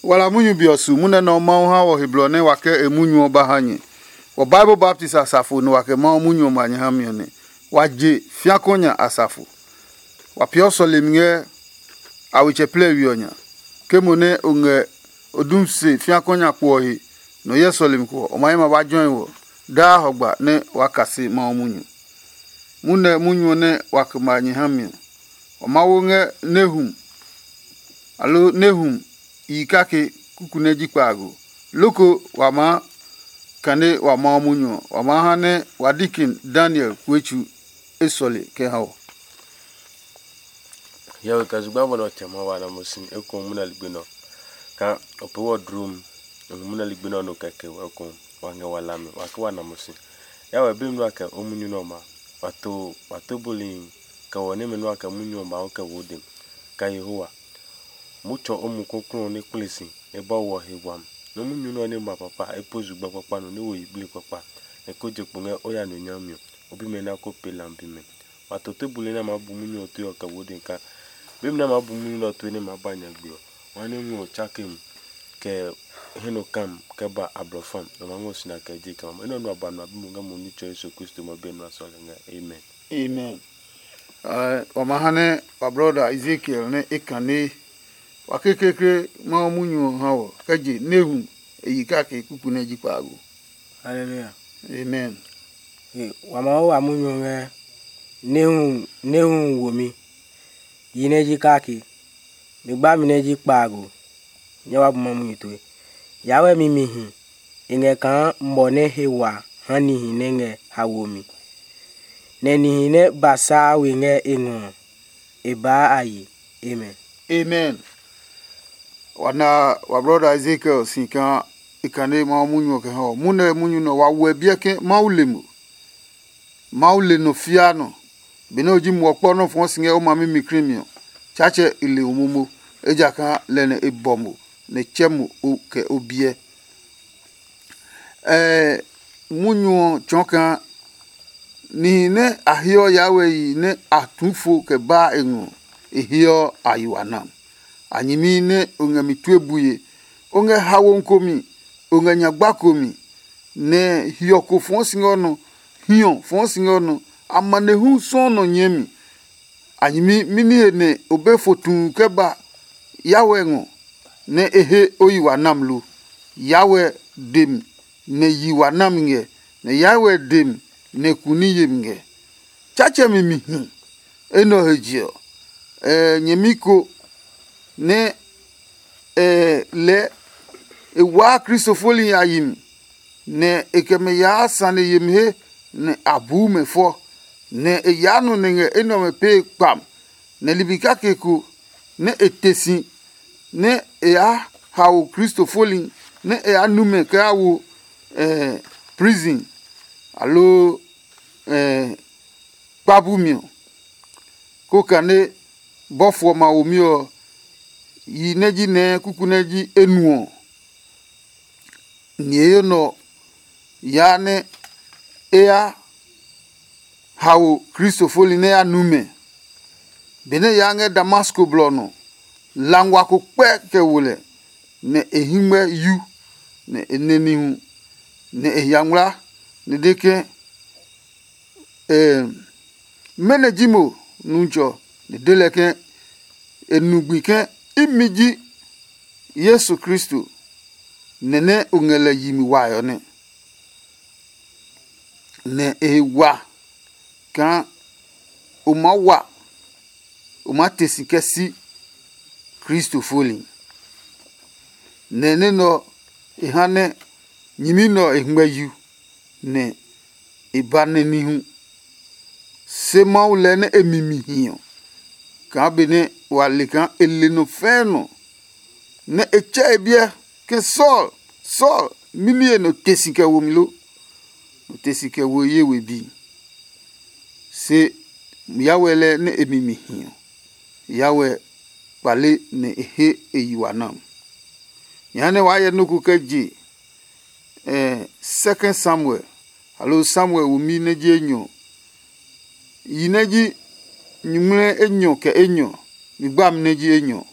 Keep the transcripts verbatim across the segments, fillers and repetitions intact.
Wala munyu be ɔ su munyu nɛ Mawu ha wɔ he blɔ nɛ wa kɛ e munyu ɔ ba ha nyɛ. Wɔ Bible baptist asafo nɛ wa kɛ Mawu munyu ɔ ma nyɛ ha mi ɔ nɛ. Wa je fiakɔ nya asafo. Wa peeɔ sɔlemi ngɛ a wetsɛ plɛ we ɔ nya. Ke mo nɛ o ngɛ o dum se fiakɔ nya kpo ɔ he, nɔ hyɛ sɔlemi ko ɔ, o ma hɛ ma ba jɔe wɔ daa hɔgba nɛ waa kase Mawu munyu. Munɛ munyu ɔ nɛ wa kɛ ma nyɛ ha mi ɔ, wa ma wo ngɛ nɛ hum, aloo nɛ hum yi kake kuku nɛ ji kpaago. Loko wa maa kane wa Mawu munyu ɔ, wa maa ha nɛ wa dikin Daniel kue tsu e sɔle kɛ ha ɔ. Hiɔwe kɛ zugba bɔ nɛ ɔ tsɛ ma wa na mo si ekohu munɛ ligbi nɛ ɔ. Kaa o pee wɔ dluu mu, o nu munɛ ligbi nɛ ɔ nɔ kɛ ke wɔ ekohu, wa ngɛ wa lami, wa ke wa na mo si. Yawɛ bi nua kɛ o munyu nɛ ɔ ma, wa to wa to bulihi, kɛ wɔ nɛmɛ nua kɛ munyu ɔ ma o kɛ wo dɛ. Kɛ Yehowa, mo tsɔ o mu kɔklɔ nɛ kple si nɛ ba wɔ he wami. Nɔ munyu nɛ ɔ nɛ ma papa e po zugba kpakpa nɔ nɛ wo yiblii kpakpa, nɛ ko je kpo ngɛ o ya nɔ nyami ɔ, o bimɛ na ko pe lam bimɛ. Wa to tebuli nɛ a maa bu munyu ɔ tue ɔ kɛ wo dɛ kaa, bemi nɛ a maa bu munyu nɛ ɔ tue nɛ e maa ba nyagbe ɔ, wa nɛ ngɔ tsake mu kɛ hɛ nɔ kam kɛ ba ablɔfam, nɛ ma ngɔ sina kɛ je kɛ ma. Enɛ ɔ nu a ba nɔ a bi mo ngɛ mo Nitsɛ Yesu Kristo ma biɛ nɔ a sɔle ngɛ. Amen. Amen. Wa ma ha nɛ wa brɔda Ezekiel nɛ e kane wa kekekle Mawu munyu ɔ ha wɔ kɛ je nɛ hu e yi kake kuku nɛ ji kpaago. Haleluya. Amen. Wa ma wo wa munyu ɔ ngɛ nɛ hu nɛ hu womi. Yi nɛ ji kake, mi gbami nɛ ji kpaago, nyɛ wa bu ma munyu tue. Yawɛ mi mi hi, e ngɛ kaa mɔ nɛ he wa ha nihi nɛ ngɛ haomi, nɛ nihi nɛ ba saa we ngɛ e ngɔ ɔ, e baa a yi. Amen. Amen. Wa na wa brɔda Ezekiel si kaa e kane Mawu munyu ɔ kɛ ha ɔ. Munɛ munyu nɛ wa wɛ biɛ ke Mawu le mo. Mawu le nɔ fia nɔ. Benɛ o ji muɔ kpɔ nɔ́ fɔɔ si ngɛ o ma mi mi krimi ɔ, Tsaatsɛ e le o momo, ejakaa lɛ nɛ e bɔ mo, nɛ e tsɛ mo o kɛ o biɛ. Ɛɛ munyu ɔ tsɔɔ kaa nihi nɛ a heɔ Yawɛ yi nɛ a tu fo kɛ baa e ngɔ, e heɔ a yi wa nam. A nyɛmi nɛ o ngɛ mi tue bue, o ngɛ hawo komi, o ngɛ nyagba komi, nɛ hiɔ ko fɔɔ si ngɛ o nɔ, hiɔ fɔɔ si ngɛ o nɔ, amanehlu sɔuu nɔ nyɛɛ mi. A nyɛmi mɛni he nɛ o be fo tuu kɛ ba Yawɛ ngɔ nɛ e he o yi wa nam lo? Yawɛ de mi nɛ yi wa nami ngɛ, nɛ Yawɛ de mi nɛ ku ní yemi ngɛ. Tsaatsɛmi mi hi. Enɛ ɔ he je ɔ, nyɛmi ko nɛ lɛɛ e waa Kristo foli a yi mi, nɛ e kɛ mɛ yaa sane yemi he nɛ a buu mɛ fɔ, nɛ e yaa nɔ nɛ ngɛ enɛ ɔmɛ pee kpam, nɛ ligbi kake ko nɛ e te si nɛ e yaa hao Kristo foli nɛ e yaa nu mɛ kɛ yaa wo prison, aloo kpa bumi ɔ, ko kane bɔfo ɔmɛ a womi ɔ, yi nɛ ji nɛɛ kuku nɛ ji enu ɔ, niheyo nɛ ɔ yaa nɛ e ya hao Kristo foli nɛ ya nu mɛ. Benɛ e yaa ngɛ Damasko blɔ ɔ nɔ, langwa ko kpɛ kɛ wo lɛ, nɛ e hɛngmɛ yu, nɛ e nɛ nihu, nɛ e hia ngmlaa, nɛ e de ke, mɛnɔ ji mo, Nutsɔ? Nɛ e de lɛ ke, e nu gbi ke, imi ji Yesu Kristo, nɛ nɛ o ngɛ lɛ yi mi wae ɔ nɛ. Nɛ e he wa kaa o maa wa, o maa te si kɛ si Kristo foli. Nɛ nɛ nɛ ɔ e ha nɛ nyɛmi nɛ ɔ e ngmɛ yu, nɛ e ba nɛ ní hu. Se Mawu lɛɛ nɛ e mi mi hi ɔ, kaa benɛ wa le kaa e le nɔ fɛɛ nɔ, nɛ e tsɛ e biɛ ke, Saul, Saul, mɛni he nɔ te si kɛ wo mi lo? Nɔ te si kɛ wo ye we bi. Se Yawɛ lɛɛ nɛ e mi mi hi ɔ, Yawɛ kpale nɛ e he e yi wa nam. Jehanɛ waa hyɛ nɔ́ ko kɛ je eh, Second Samuel, aloo Samuel womi nɛ ji enyɔ, yi nɛ ji nyuŋmlɛ enyɔ kɛ enyɔ, mi gbami nɛ ji enyɔ.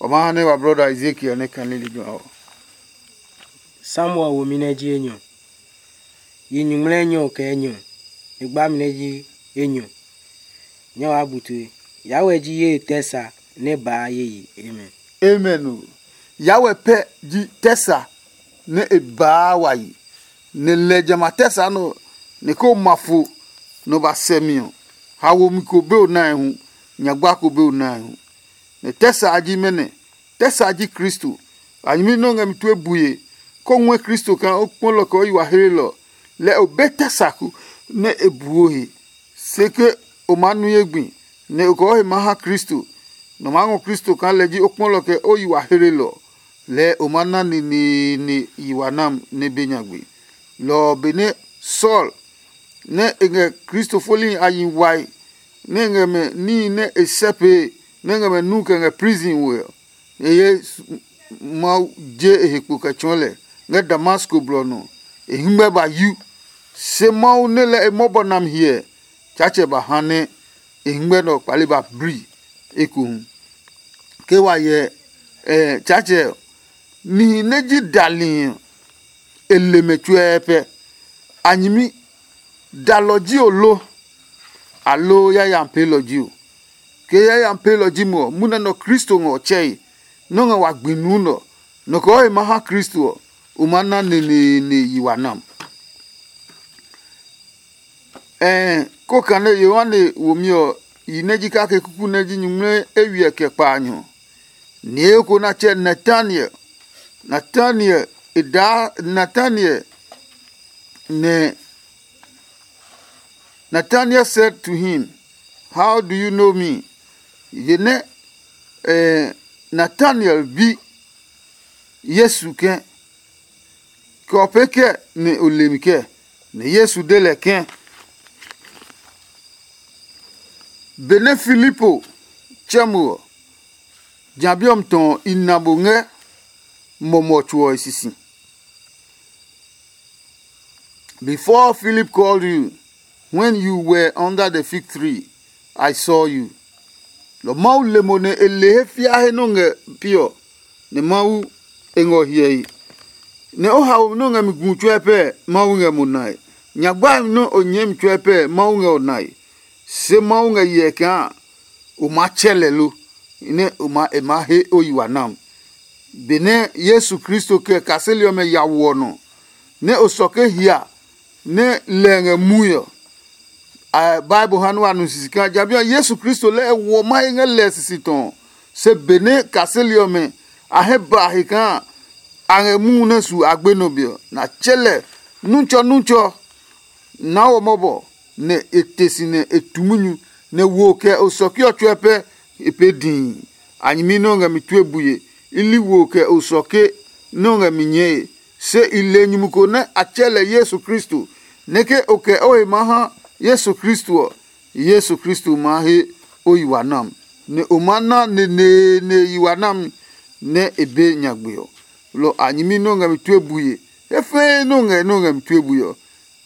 Ɔ maa ha nɛ wa brɔda Ezekiel nɛ kane lejɛ ɔ. Samuel womi nɛ ji enyɔ. Yi nyuŋmlɛ enyɔ kɛ enyɔ, e gbami nɛ ji enyɔ. Nyɛ waa bu tue. Yawɛ ji ye tɛ sa nɛ baa ye yi. Amen. Amen o. Yawɛ pɛ ji tɛ sa nɛ e baa wa yi, nɛ lɛ jamɛ a tɛ sa nɛ ɔ, nɛ ko ma fo nɛ ɔ ba sɛ mi ɔ, haomi ko be o nae hu, nyagba ko be o nae hu. Nɛ tɛ sa a ji mɛnɔ? Tɛ sa ji Kristo. A nyɛmi nɛ o ngɛ mi tue bue, kó ngɔɛ Kristo kaa o kpɔlɔ kɛ o yi wa hlelɔ, lɛ o be tɛ sa ko nɛ e buo he. Se ke o maa nu ye gbi, nɛ o kɛ o he maa ha Kristo, nɛ o maa ngɔ Kristo kaa lɛ ji o kpɔlɔ kɛ o yi wa hlelɔ, lɛɛ o maa na neneene yi wa nam nɛ be nyagbe. Lɔ ɔ benɛ Saul nɛ e ngɛ Kristo folihi a yi wae, nɛ e ngɛ mɛ níhi nɛ e sɛ pee, nɛ e ngɛ mɛ nu kɛ ngɛ prison we ɔ, e ye Mawu je e he kpo kɛ tsɔɔ lɛ ngɛ Damasko blɔ nɔ. E hɛngmɛ ba yu, se Mawu nɛ lɛ e mɔbɔ nami hyɛ, Tsaatsɛ ba ha nɛ e hɛngmɛ nɛ ɔ kpale ba bli ekohu. Ke wa hyɛ Tsaatsɛ ɔ, nihi nɛ ji dali ɔ, e le mɛ tsuɛɛ pɛ. A nyɛmi, dalɔ ji o lo, aloo yayami peelɔ ji o? Ke yayami peelɔ ji mo ɔ, munɛ nɔ Kristo ngɛ ɔ tsɛe, nɔ́ ngɛ wa gbi nuu nɛ ɔ, nɔ kɛ o he maa ha Kristo ɔ, o maa na neneene yi wa nam. Ɛɛ, ko kane Yohane womi ɔ yi nɛ ji kake kuku nɛ ji nyuŋmlɛ eywiɛ kɛ kpaanyɔ. Nieko nɛ a tsɛ Nataniel. Nataniel e daa Nataniel, nɛ Nataniel said to him, "How do you know me?" Ye nɛ eh, Nataniel bi Yesu ke, "Kɛ o pee kɛ nɛ o le mi kɛ?" Nɛ Yesu de lɛ ke, "Benɛ Filipo tsɛ mo ɔ, ja bi ɔ mi tɔ i na mo ngɛ mɔmɔ tso ɔ e sisi." Before Philip called you, when you were under the fig tree, I saw you. Lɔ Mawu le mo nɛ e le he fia he nɛ o ngɛ pi ɔ, nɛ Mawu e ngɛ ɔ hyɛe. Nɛ o haomi nɛ o ngɛ mi gu tsuɛ pɛ, Mawu ngɛ mo nae. Nyagbaemi nɛ o nyɛɛ mi tsuɛ pɛ, Mawu ngɛ o nae. Se Mawu ngɛ hyɛ kaa o maa tsɛ lɛ lo, nɛ o ma e maa he o yi wa nam. Benɛ Yesu Kristo kɛ kaseli ɔmɛ ya woɔ nɔ, nɛ o sɔke hia nɛ lɛ ngɛ mui ɔ, Bible ha nɛ wa nu sisi kaa jamɛ ɔ Yesu Kristo lɛ ɛ woɔ mahe ngɛ lɛ sisi tɔ. Se benɛ kaseli ɔmɛ a hɛ ba he kaa a ngɛ muu nɛ su a gbe nɔ be ɔ, na tsɛ lɛ nutsɔ nutsɔ naa wɔ mɔbɔ, nɛ e te si nɛ e tu munyu, nɛ wo kɛ osɔke ɔ tsuɛ pɛ e pee dii. A nyɛmi nɛ o ngɛ mi tue bue, i li wo kɛ osɔke nɛ o ngɛ mi nyɛɛe. Se i le nyumu ko nɛ a tsɛ lɛ Yesu Kristo, nɛ ke o kɛ o he maa ha Yesu Kristo ɔ, Yesu Kristo maa he o yi wa nam, nɛ o maa na neneene yi wa nam nɛ e be nyagbe ɔ. Lɔ a nyɛmi nɛ o ngɛ mi tue bue, he fɛɛ nɛ o ngɛ nɛ o ngɛ mi tue bue ɔ,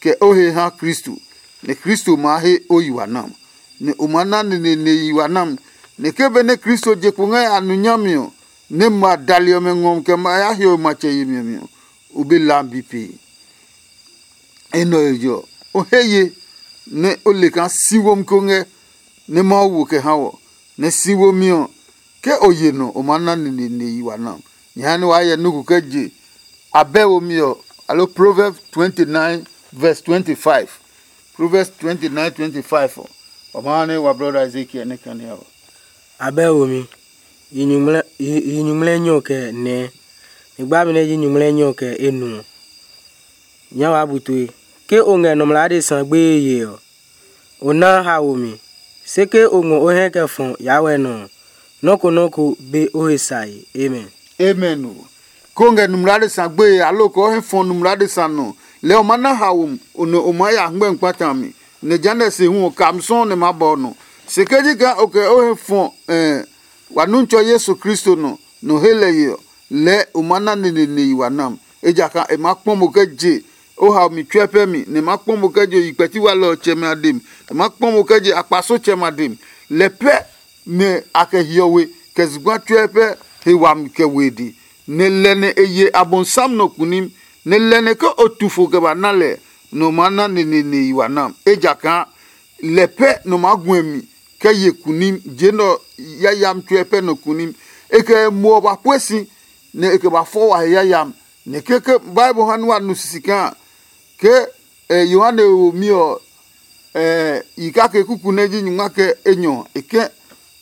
kɛ o he ha Kristo, nɛ Kristo maa he o yi wa nam, nɛ o maa na neneene yi wa nam, nɛ ke benɛ Kristo je kpo ngɛ a nu nyami ɔ, nɛ ma dali ɔmɛ ngɔ kɛ ma ya hiɔwe matsɛ yemi ɔ mi ɔ, o be la bi pee. Enɛ ɔ he je ɔ, o he ye nɛ o le kaa si womi ko ngɛ nɛ Mawu wo kɛ ha wɔ, nɛ si womi ɔ, ke o ye nɔ, o maa na neneene yi wa na. Nyɛ ha nɛ waa hyɛ nɔ́ ko kɛ je abɛ womi ɔ, aloo Proverbs twenty nine verse twenty five. Proverbs twenty nine twenty five ɔ, wa maa ha nɛ wa brɔda Ezekiel nɛ kane ɔ. Abɛ womi, yi nyuŋmlɛ yi nyuŋmlɛ nyɔ kɛ nɛɛ, ni gbami nɛ ji nyuŋmlɛ nyɔ kɛ enuɔ. Nyɛ waa bu tue. Ke o ngɛ nɔmlɔ adesa gbeye yee ɔ, o naa haomi. Se ke o ngɔ o hɛ kɛ fɔ Yawɛ nɔ ɔ, nɔ́ ko nɔ́ ko be o he sae. Amen. Amen o. Ko ngɛ nɔmlɔ adesa gbeye aloo ko hɛ fɔ nɔmlɔ adesa nɔ, lɛɛ o ma na haomi, o nɔ o maa ya hɛngmɛ kpata mi, nɛ jehanɛ se hu ɔ kam sɔɔ nɛ ma bɔ nɔ. Se ke ji kaa o kɛ o hɛ fɔ wa Nuntsɔ Yesu Kristo nɔ, nɔ he lɛ ye ɔ, lɛɛ o ma na nenenehi wa nam. Ejakaa e maa kpɔ mo kɛ je o haomi tsuɛ pɛ mi, nɛ e maa kpɔ mo kɛ je o yi kpɛti walɛ ɔ tsɛmɛ a dem, e maa kpɔ mo kɛ je akpasotsɛmɛ a dem. Lɛ pɛ nɛ a kɛ hiɔwe kɛ zugba tsuɛ pɛ e wami kɛ we e de, nɛ lɛ nɛ e ye Abosiam nɔ kunim, nɛ lɛ nɛ ke o tu fo kɛ ba na lɛ, nɔ maa na neneene yi wa nam, ejakaa lɛ pɛ nɔ maa guɛ mi kɛ ye kunim. Je nɛ ɔ yayami tsuɛ pɛ nɔ kunim. E kɛ e muɔ ba pue si, nɛ e kɛ ba fɔ wa he yayami. Nɛ keke Bible ha nɛ wa nu sisi kaa ke Yohane womi ɔ, yi kake kuku nɛ ji nyungma kɛ enyɔ ɔ, e ke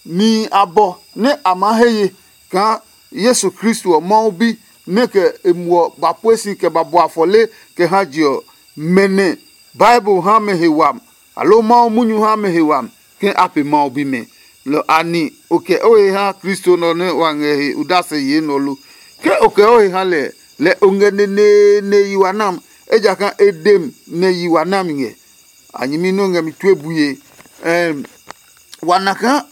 nihi abɔ nɛ a maa he ye kaa Yesu Kristo ɔ Mawu Bi nɛ kɛ e muɔ ba pue si kɛ ba bua fɔle kɛ ha je ɔ, mɛ nɛ Bible ha mɛ he wami, aloo Mawu munyu ha mɛ he wami ke a pe Mawu bimɛ. Lɔ ani o kɛ o he ha Kristo nɛ ɔ nɛ wa ngɛ he odase yee nɛ ɔ lo? Ke o kɛ o he ha lɛ, lɛ o ngɛ neneene yi wa nam, ejakaa e dem nɛ yi wa nami ngɛ. A nyɛmi nɛ o ngɛ mi tue bue. Ɛɛm, wa na kaa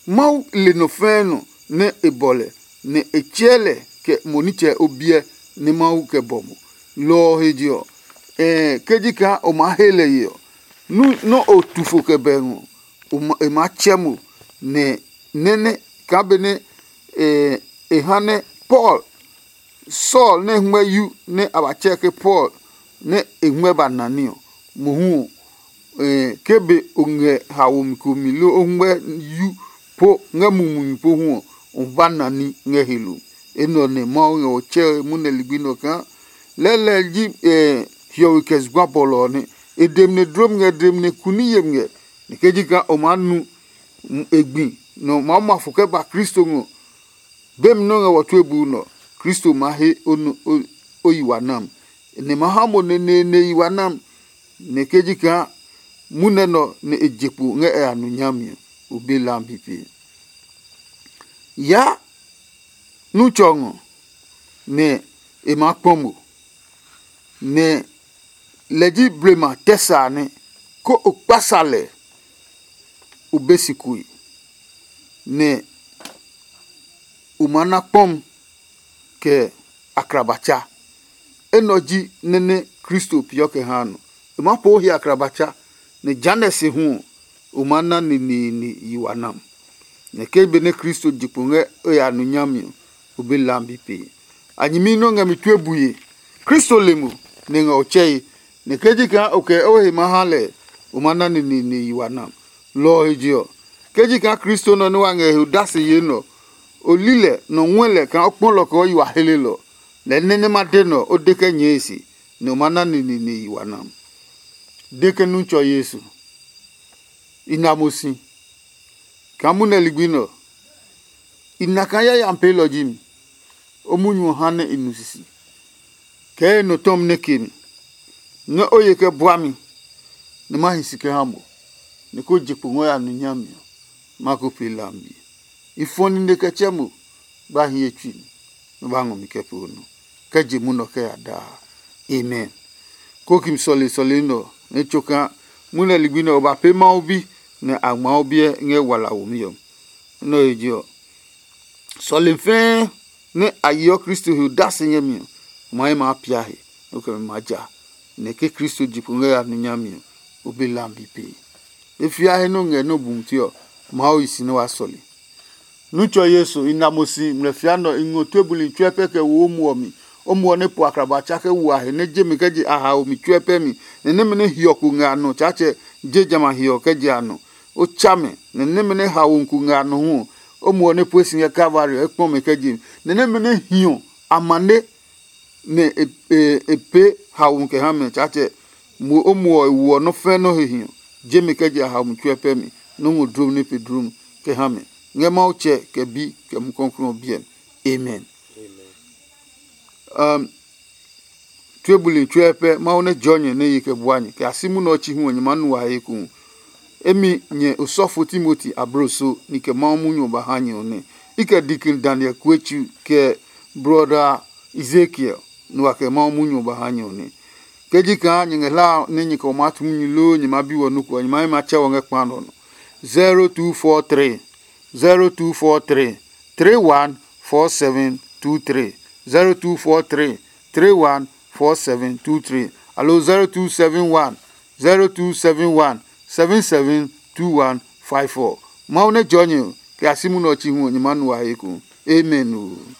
Mawu le nɔ fɛɛ nɔ nɛ e bɔ lɛ, nɛ e tsɛɛ lɛ kɛ mo nitsɛ o biɛ nɛ Mawu kɛ bɔ mo. Lɔ ɔ he je ɔ, ɛɛ ke ji kaa o maa he lɛ ye ɔ, nɔ́ o tu fo kɛ bɛ ngɔ, e maa tsɛ mo, nɛ nɛ́ nɛ kaa benɛ e ha nɛ Paul, Saul nɛ ngmɛ yu nɛ a ba tsɛɛ ke Paul nɛ e ngmɛ ba na ní ɔ, mohu ɔ, ke be o ngɛ haomi ko mi loo o ngmɛ yu po ngɛ mumi mi pohu ɔ, o ba na ní ngɛ he lo. Enɛ ɔ nɛ Mawu ngɛ ɔ tsɛe munɛ ligbi nɛ ɔ kaa lɛlɛ ji hiɔwe kɛ zugba bɔlɔ ɔ nɛ e dem nɛ dlom ngɛ, dem nɛ kuni yem ngɛ. Nɛ ke ji kaa o maa nu e gbi nɛ o maa ma fo kɛ ba Kristo ngɔ, bemi nɛ o ngɛ wɔ tue buu nɛ ɔ, Kristo maa he o yi wa nam, nɛ ma ha mo neneene yi wa nam. Nɛ ke ji kaa munɛ nɛ ɔ nɛ e je kpo ngɛ e ya nu nyami ɔ, o be lambi pee. Yaa nu tsɔ ngɔ, nɛ e maa kpɔ mo, nɛ lɛ ji blema tɛ sa nɛ, ko o kpa sa lɛ, o be si kue, nɛ o maa na kpɔm kɛ akrabatsa. Enɛ ɔ ji nɛ nɛ Kristo peeɔ kɛ haa nɔ. E maa poo he akrabatsa, nɛ jehanɛ se hu ɔ, o maa na neneene yi wa nam. Nɛ ke benɛ Kristo je kpo ngɛ o ya nu nyami ɔ, o be lambi pee. A nyɛmi nɛ o ngɛ mi tue bue. Kristo le mo, nɛ e ngɛ o tsɛe, nɛ ke ji kaa o kɛ o he maa ha lɛ, o maa na neneene yi wa nam. Lɔ ɔ he je ɔ, ke ji kaa Kristo nɔ nɛ wa ngɛ he odase yee nɛ ɔ, o li lɛ nɔ ngɔɛ lɛ kaa o kpɔ lɔ kɛ o yi wa helelɔ. Lɛɛ nɛ nɛ ma de nɛ ɔ, o de kɛ nyɛɛ e se, nɛ o ma na neneene yi wa nam. De ke nu tsɔ Yesu. I na mo si kaa munɛ ligbi nɛ ɔ, i na kaa yayami peelɔ ji mi. O munyu ɔ ha nɛ i nu sisi, kɛɛ e nɔ tɔmi nɛ ke mi, nɛ o ye kɛ bua mi, nɛ ma hi si kɛ ha mo, nɛ ko je kpo ngɔ ya nu nyami ɔ, ma ko pee lambi. I fɔ nine kɛ tsɛ mo, ba hi ye tsui mi, nɛ ba ngɔ mi kɛ pee o nɔ, kɛ je munɔ kɛ ya daa. Amen. Kokim sɔle sɔle nɛ ɔ nɛ tso kaa munɛ ligbi nɛ ɔ ba pee Mawu bi, nɛ a ngma o biɛ ngɛ wala womi ɔ. Nɛ ɔ he je ɔ, sɔle fɛɛ nɛ a yeɔ Kristo he odase ngɛ mi ɔ, o ma he maa pia he, nɛ o kɛ mi maa ja, nɛ ke Kristo je kpo ngɛ ya nu nyami ɔ, o be lambi pee. E fia he nɛ o ngɛ nɛ o bu mute ɔ, Mawu yi si nɛ wa sɔle. Nutsɔ Yesu, i na mo si ngmlɛfia nɛ ɔ, i ngɔ tue buli tsuɛ pɛ kɛ wo o muɔ mi. O muɔ nɛ po akraba tsa kɛ wo a he nɛ je mi kɛ je a haomi tsuɛ pɛ mi, nɛ nɛmɛ nɛ hiɔku ngɛ a nɔ Tsaatsɛ je jamɛ a he ɔ kɛ je a nɔ. O tsa mɛ, nɛ nɛmɛ nɛ haoku ngɛ a nɔ hu ɔ, o muɔ nɛ pue si ngɛ Kalvari ɔ, e kpɔ mɛ kɛ je mi, nɛ nɛmɛ nɛ hiɔ amane nɛ e pee haomi kɛ ha mɛ Tsaatsɛ. Mo o muɔ e woɔ nɔ́ fɛ́ nɔ́ he hiɔ, je mi kɛ je a haomi tsuɛ pɛ mi, nɔ́ ngɔ dlom nɛ pe dlom kɛ ha mɛ. Ngɛ Mawu Tsɛ, kɛ Bi, kɛ Mumi Klɔuklɔu ɔ biɛ mi. Amen. Um, tue buli tsuɛ pɛ Mawu nɛ jɔɔ nyɛ nɛ ye kɛ bua nyɛ kɛ a si munɛ ɔ chi hu ɔ nyɛ maa nu wa he ekohu. Emi nyɛ osɔfo Timoti abloso ni kɛ Mawu munyu ɔ ba ha nyɛ ɔ nɛ. I kɛ Deacon Daniel Kuetsu kɛ Brother Ezekiel nu wa kɛ Mawu munyu ɔ ba ha nyɛ ɔ nɛ. Ke ji kaa nyɛ ngɛ hla nɛ nyɛ kɛ o maa tu munyu loo nyɛ maa bi wɔ nɔ́ ko ɔ, nyɛ maa he ma tsɛ wɔ ngɛ kpa nɔ nɔ. zero two four three, zero two four three, three one four seven two three, zero two four three, three one four seven two three, aloo zero two seven one, zero two seven one, seven seven two one five four. Mawu nɛ jɔɔ nyɛ kɛ a si munɛ ɔ chi hu ɔ, nyɛ maa nu wa he ekohu. Amen oo.